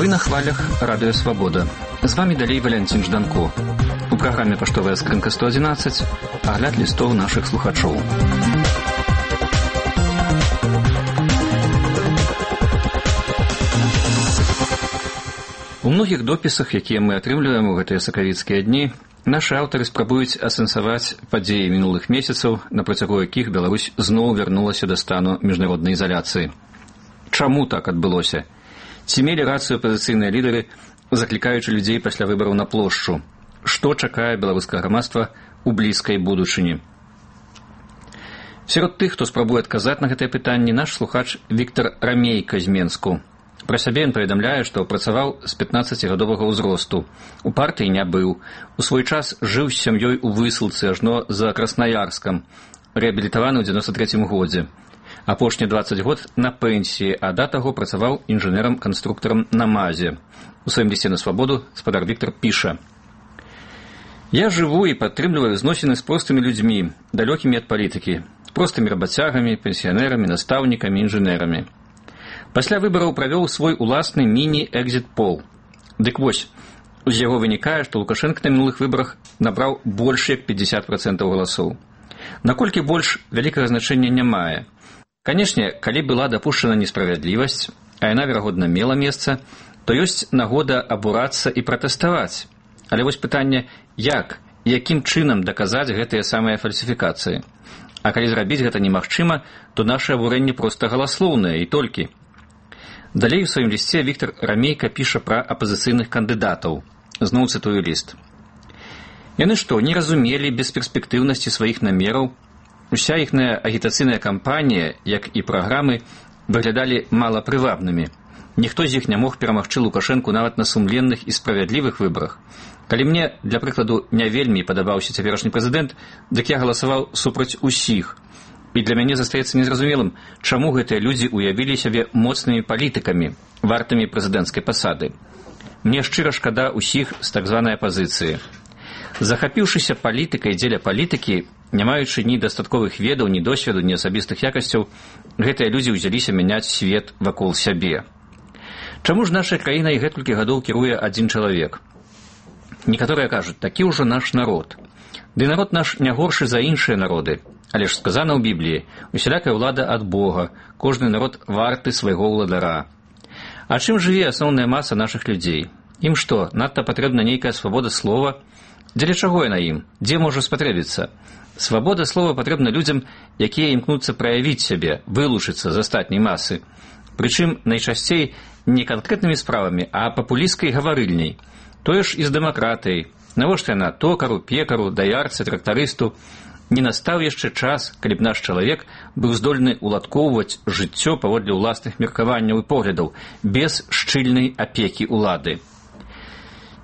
на хвалях Радыё Свабода. З вамі далей Валянцін Жданко. У праграме «Паштовая скрынка 111» агляд лістоў нашых слухачоў. У многіх допісах, якія мы атрымліваем у гэтыя сакавіцкія дні, нашы аўтары спрабуюць асэнсаваць падзеі мінулых месяцаў, на працягу якіх Беларусь зноў вярнулася да стану міжнароднай ізаляцыі. Чаму так адбылося? Ці мелі рацыю апазіцыйныя лідары, заклікаючы людзей пасля выбараў на плошчу? Што чакае беларускае грамадства ў блізкай будучыні? Сярод тых, хто спрабуе адказаць на гэтыя пытанні, наш слухач Віктар Рамейка з Менску. Пра сябе ён паведамляе, што працаваў з 15гадовага ўзросту. У партыі не быў. У свой час жыў з сям'ёй у высылцы ажно за Краснаярскам, рэабілітаваны ў 93 годзе. Апошні 20 год на пенсіі, а да таго працаваў інжынерам-канструктарам на МАЗе. У сваім лісце на свабоду спадар Віктар піша: «Я жыву і падтрымліваю зносіны з простымі людзьмі, далёкімі ад палітыкі, простымі рабацягамі, пенсіянерамі, настаўнікамі, інжынерамі. Пасля выбараў правёў свой уласны міні-экзіт-пол. Дык вось, з яго вынікае, што Лукашенко на мінулых выбарах набраў больш як 50% галасоў. Наколькі больш вялікага значэння не мае. Канешне, калі была дапушчана несправядлівасць, а яна, верагодна, мела месца, то ёсць нагода абурацца і пратэставаць. Але вось пытанне, як і якім чынам даказаць гэтыя самыя фальсіфікацыі? А калі зрабіць гэта немагчыма, то наша абурэнне проста галаслоўнае і толькі. Далей у сваім лісце Віктар Рамейка піша пра апазіцыйных кандыдатаў. Зноў цытую ліст. Яны што, не разумелі бесперспектыўнасці сваіх намераў? Уся іхная агітацыйная кампанія, як і праграмы, выглядалі малапрывабнымі. Ніхто з іх не мог перамагчы Лукашэнку нават на сумленных і справядлівых выбарах. Калі мне, для прыкладу, не вельмі падабаўся цяперашні прэзідэнт, дык я галасаваў супраць усіх. І для мяне застаецца незразумелым, чаму гэтыя людзі уявілі сябе моцнымі палітыкамі, вартымі прэзідэнцкай пасады. Мне шчыра шкада усіх з так званай апазіцыі. Захапіўшыся палітыкай дзеля палітыкі, не маючы ні дастатковых ведаў, ні досведу, ні асабістых якасцяў, гэтыя людзі ўзяліся мяняць свет вакол сябе. Чаму ж наша краіна і гэтулькі гадоў кіруе адзін чалавек? Некаторыя кажуць, такі ўжо наш народ. Ды народ наш не горшы за іншыя народы. Але ж сказана ў Бібліі, усялякая ўлада ад Бога, кожны народ варты свайго ўладара. А чым жыве асноўная маса нашых людзей? Ім што, надта патрэбна нейкая свабода слова? Дзеля чаго яна ім? Дзе можа спатрэбіцца? Свабода слова патрэбна людзям, якія імкнуцца праявіць сябе, вылучыцца з астатняй масы. Прычым найчасцей не канкрэтнымі справамі, а папулісцкай гаварыльняй. Тое ж і з дэмакратыяй. Навошта яна токару, пекару, даярцы, трактарысту? Не настаў яшчэ час, калі б наш чалавек быў здольны уладкоўваць жыццё паводле ўласных меркаванняў і поглядаў, без шчыльнай апекі ўлады.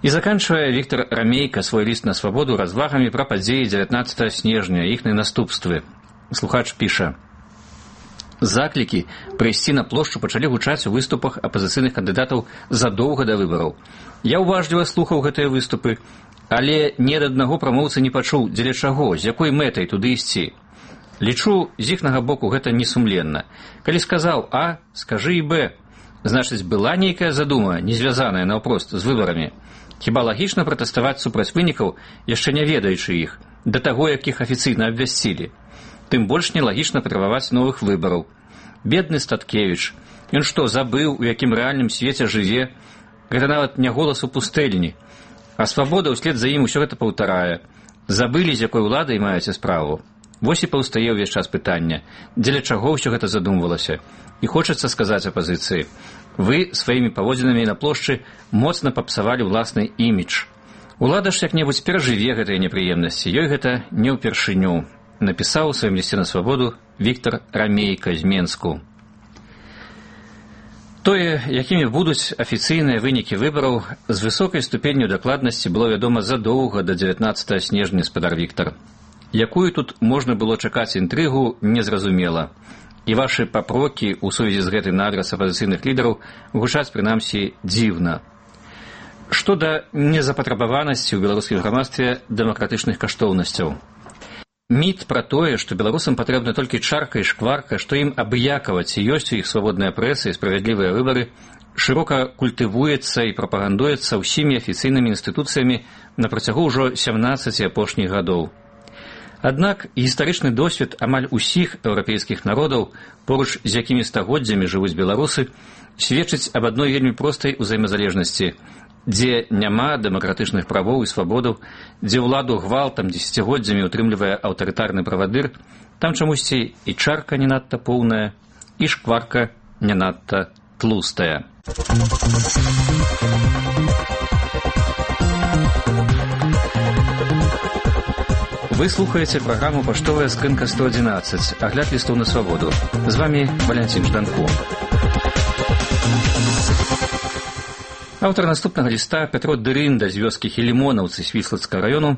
І заканчвае Віктар Рамейка свой ліст на свабоду развагамі пра падзеі 19 снежня і іхныя наступствы. Слухач піша: «Заклікі прыйсці на плошчу пачалі гучаць у выступах апазіцыйных кандыдатаў задоўга да выбараў. Я ўважліва слухаў гэтыя выступы, але ні ад аднаго прамоўцы не пачуў, дзеля чаго, з якой мэтай туды ісці. Лічу, з іхнага боку гэта несумленна. Калі сказаў А, скажы і Б. Значыць, была нейкая задума, не звязаная наўпрост з выбарамі. Хіба лагічна пратэставаць супраць вынікаў, яшчэ не ведаючы іх, да таго, як іх афіцыйна абвясцілі. Тым больш нелагічна патрабаваць новых выбараў. Бедны Статкевіч, ён што, забыў, у якім рэальным свеце жыве? Гэта нават не голас у пустэльні. А свабода ўслед за ім усё гэта паўтарае. Забылі, з якой уладай маеце справу. Вось і паўстае ўвесь час пытання, дзеля чаго ўсё гэта задумвалася. І хочацца сказаць апазіцыі: вы сваімі паводзінамі на плошчы моцна папсавалі ўласны імідж. Улада ж як-небудзь перажыве гэтыя непрыемнасці, ёй гэта не ўпершыню. Напісаў у сваім лісце на свабоду Віктар Рамейка з Менску. Тое, якімі будуць афіцыйныя вынікі выбараў, з высокай ступенню дакладнасці было вядома задоўга да 19 снежня, спадар Віктар. Якую тут можна было чакаць інтрыгу, незразумела. І вашы папрокі ў сувязі з гэтым на адрас апазіцыйных лідараў гучаць, прынамсі, дзіўна. Што да незапатрабаванасці ў беларускім грамадстве дэмакратычных каштоўнасцяў? Міт пра тое, што беларусам патрэбна толькі чарка і шкварка, што ім абыякава, ці ёсць у іх свабодная прэса і справядлівыя выбары, шырока культывуецца і прапагандуецца ўсімі афіцыйнымі інстытуцыямі на працягу ўжо 17 апошніх гадоў. Аднак гістарычны досвед амаль усіх еўрапейскіх народаў, поруч з якімі стагоддзямі жывуць беларусы, сведчыць аб адной вельмі простай узаемазалежнасці, дзе няма дэмакратычных правоў і свабодаў, дзе ўладу гвалтам дзесяцігоддзямі утрымлівае аўтарытарны правадыр, там чамусьці і чарка не надта поўная, і шкварка не надта тлустая. Вы слухаеце праграму «Паштовая скрынка 111», агляд лістоў на свабоду. З вами Валянцін Жданко. Аўтар наступнага ліста Пятро Дырында з вёскі Хілімонаўцы Свіслацкага раёну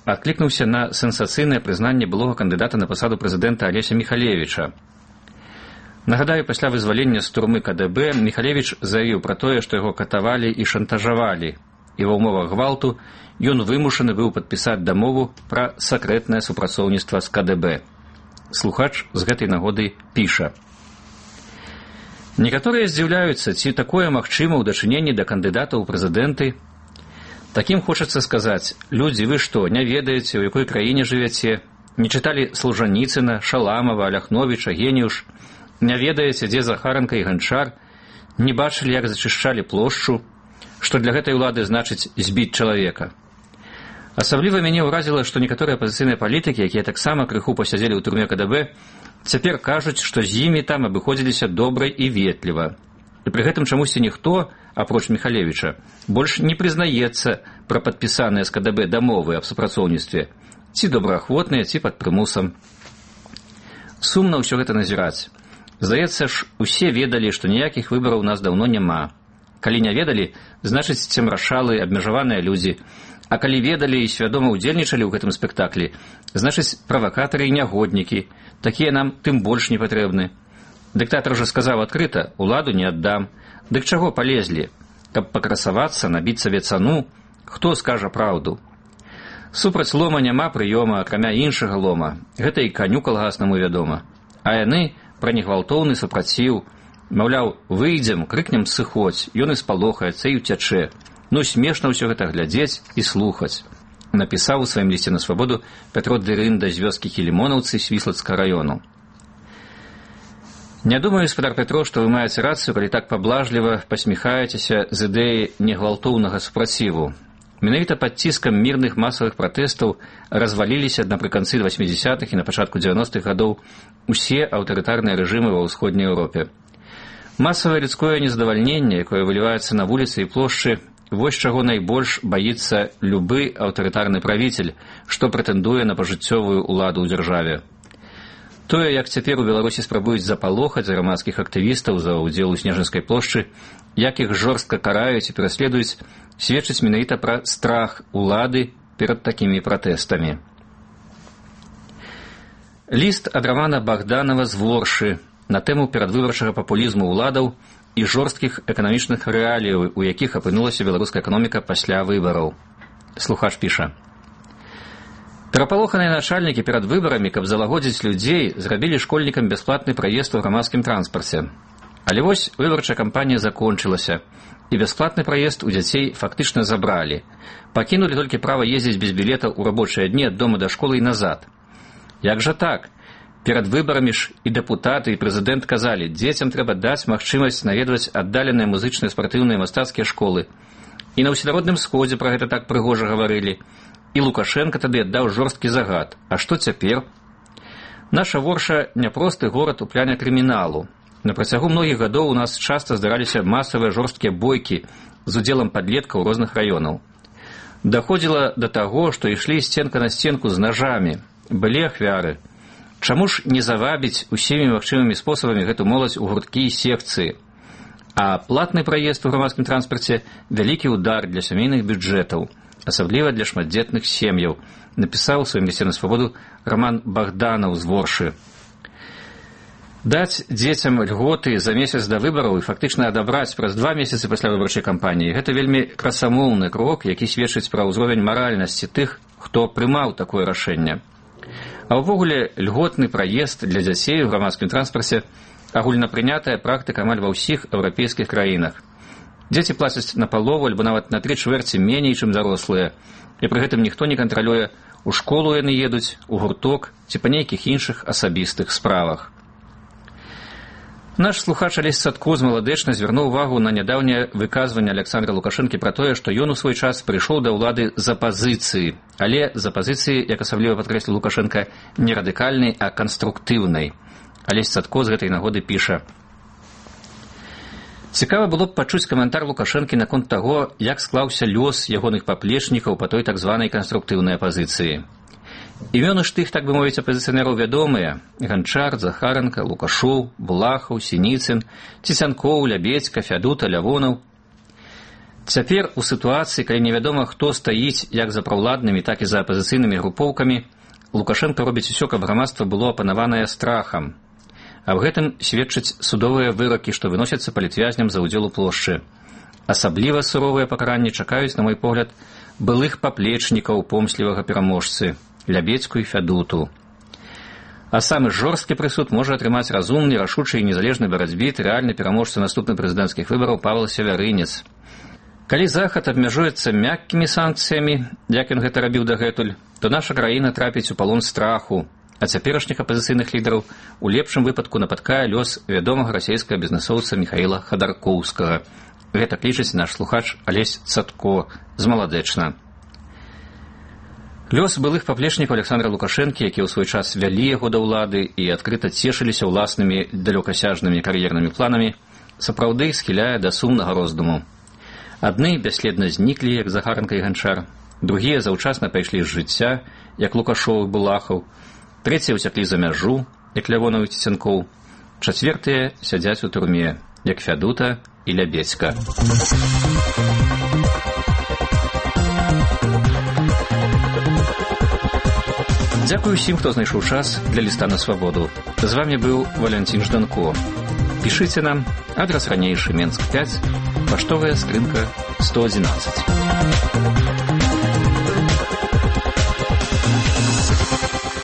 адклікнуўся на сенсацыйнае прызнанне былога кандыдата на пасаду прэзідэнта Алеся Міхалевіча. Нагадаю, пасля вызвалення з турмы КДБ Міхалевіч заявіў пра тое, што яго катавалі і шантажавалі, і ва ўмовах гвалту ён вымушаны быў падпісаць дамову пра сакрэтнае супрацоўніцтва з КДБ. Слухач з гэтай нагоды піша. Некаторыя здзіўляюцца, ці такое магчыма ў дачыненні да кандыдата ў прэзідэнты. Такім хочацца сказаць, людзі, вы што, не ведаеце, у якой краіне жывяце, не чыталі Солжаніцына, Шаламова, Ляхновіча, Геніуш, не ведаеце, дзе Захаранка і Ганчар, не бачылі, як зачышчалі плошчу, што для гэтай улады значыць збіць чалавека. Асабліва мяне ўразіла, што некаторыя апазіцыйныя палітыкі, якія таксама крыху пасядзелі ў турме КДБ, цяпер кажуць, што з імі там абыходзіліся добра і ветліва. І пры гэтым чамусьці ніхто, апроч Міхалевіча, больш не прызнаецца пра падпісаныя з КДБ дамовы аб супрацоўніцтве, ці добраахвотныя, ці пад прымусам. Сумна ўсё гэта назіраць. Здаецца ж, усе ведалі, што ніякіх выбараў у нас даўно няма. Калі не ведалі, значыць, цемрашалы, абмежаваныя людзі. А калі ведалі і свядома ўдзельнічалі ў гэтым спектаклі, значыць, правакатары і нягоднікі. Такія нам тым больш не патрэбны. Дыктатар жа сказаў адкрыта, уладу не аддам. Дык чаго палезлі? Каб пакрасавацца, набіць сабе цану? Хто скажа праўду? Супраць лома няма прыёма, акрамя іншага лома. Гэта і каню калгаснаму вядома. А яны пра негвалтоўны супраціў. Маўляў, выйдзем, крыкнем сыходзь, ён і спалохаецца і ўцячэ. Ну, смешна ўсё гэта глядзець і слухаць. Напісаў у сваім лісце на свабоду Пятро Дырында з вёскі Хілімонаўцы Свіслацкага раёну. Не думаю, гаспадар Пятро, што вы маеце рацыю, калі так паблажліва пасміхаецеся з ідэі негвалтоўнага супраціву. Менавіта пад ціскам мірных масавых пратэстаў разваліліся напрыканцы 80-х і на пачатку 90-х гадоў усе аўтарытарныя рэжымы ва ўсходняй Еўропе. Масавае людское незадавальненне, якое выліваецца на вуліцы і плошчы, вось чаго найбольш баіцца любы аўтарытарны правіцель, што прэтэндуе на пажыццёвую ўладу ў дзяржаве. Тое, як цяпер у Беларусі спрабуюць запалохаць грамадскіх актывістаў за ўдзел у Снежанскай плошчы, як іх жорстка караюць і пераследуюць, сведчыць менавіта пра страх улады перад такімі пратэстамі. Ліст ад Рамана Богданова з Воршы на тэму перадвыбарчага папулізму ўладаў і жорсткіх эканамічных рэаліяў, у якіх апынулася беларуская эканоміка пасля выбараў. Слухач піша. Перапалоханыя начальнікі перад выбарамі, каб залагодзіць людзей, зрабілі школьнікам бясплатны праезд у грамадскім транспарце. Але вось выбарчая кампанія закончылася, і бясплатны праезд у дзяцей фактычна забралі. Пакінулі толькі права ездзіць без білета ў рабочыя дні ад дома да школы і назад. Як жа так? Перад выбарамі ж і дэпутаты, і прэзідэнт казалі, дзецям трэба даць магчымасць наведваць аддаленыя музычныя, спартыўныя, мастацкія школы. І на ўсенародным сходзе пра гэта так прыгожа гаварылі. І Лукашенка тады аддаў жорсткі загад. А што цяпер? Наша Ворша няпросты горад у пляне крыміналу. На працягу многіх гадоў у нас часта здараліся масавыя жорсткія бойкі з удзелам падлеткаў розных раёнаў. Даходзіла да таго, што ішлі сценка на сценку з нажамі. Былі ахвяры. Чаму ж не завабіць усімі магчымымі спосабамі гэту моладзь у гурткі і секцыі? А платны праезд у грамадскім транспарце – вялікі ўдар для сямейных бюджэтаў, асабліва для шматдзетных сем'яў, напісаў у сваім лісце на свабоду Раман Богданов з Воршы. Даць дзецям льготы за месяц да выбараў і фактычна адабраць праз 2 месяцы пасля выбарчай кампаніі – гэта вельмі красамоўны крок, які сведчыць пра ўзровень маральнасці тых, хто прымаў такое рашэнне. А ўвогуле льготны праезд для дзяцей у грамадскім транспарце агульнапрынятая практыка амаль ва ўсіх еўрапейскіх краінах. Дзеці плацяць на палову альбо нават на 3/4 меней, чым дарослыя, і пры гэтым ніхто не кантралюе, у школу яны едуць, у гурток ці па нейкіх іншых асабістых справах. Наш слухач Алесь Цатко з Маладэчна звярнуў увагу на нядаўняе выказванне Александра Лукашэнкі пра тое, што ён у свой час прыйшоў да ўлады з апазіцыі, але з апазіцыі, як асабліва падкрэсліў Лукашэнка, не радыкальнай, а канструктыўнай. Алесь Цатко з гэтай нагоды піша: «Цікава было б пачуць каментар Лукашэнкі наконт таго, як склаўся лёс ягоных паплечнікаў па той так званай канструктыўнай апазіцыі. Імёны ж тых, так бы мовіць, апазіцыянераў вядомыя: Ганчар, Захаранка, Лукашоў, Булахаў, Сініцын, Цісянкоў, Лябедзька, Фядута, Лявонаў. Цяпер у сітуацыі, калі невядома, хто стаіць як за праўладнымі, так і за апазіцыйнымі групоўкамі, Лукашенко робіць усё, каб грамадства было апанаванае страхам. Аб гэтым сведчаць судовыя выракі, што выносяцца палітвязням за ўдзел у плошчы. Асабліва суровыя пакаранні чакаюць, на мой погляд, былых паплечнікаў помслівага пераможцы Лябедзьку і Фядуту. А самы жорсткі прысуд можа атрымаць разумны, рашучы і незалежны барацьбіт рэальны пераможца наступных прэзідэнцкіх выбараў Павел Севярынец. Калі Захад абмяжуецца мяккімі санкцыямі, як ён гэта рабіў дагэтуль, то наша краіна трапіць у палон страху, а цяперашніх апазіцыйных лідараў у лепшым выпадку напаткае лёс вядомага расійскага бізнэсоўца Міхаіла Хадаркоўскага. Гэта лічыць наш слухач Алесь Цатко з Маладэчна. Лёс былых паплечнікаў Александра Лукашэнкі, якія ў свой час вялі яго да ўлады і адкрыта цешыліся ўласнымі далёкасяжнымі кар'ернымі планамі, сапраўды схіляе да сумнага роздуму. Адны бясследна зніклі, як Захаранка і Ганчар, другія заўчасна пайшлі з жыцця, як Лукашоў і Булахаў, трэція ўцяклі за мяжу, як Лявонаў і Цісянкоў, чацвертыя сядзяць у турме, як Фядута і Лябедзька. Дзякую ўсім, хто знайшоў час для ліста на свабоду. З вами быў Валянцін Жданко. Пішыце нам, адрас ранейшы, Менск 5, паштовая скрынка 111.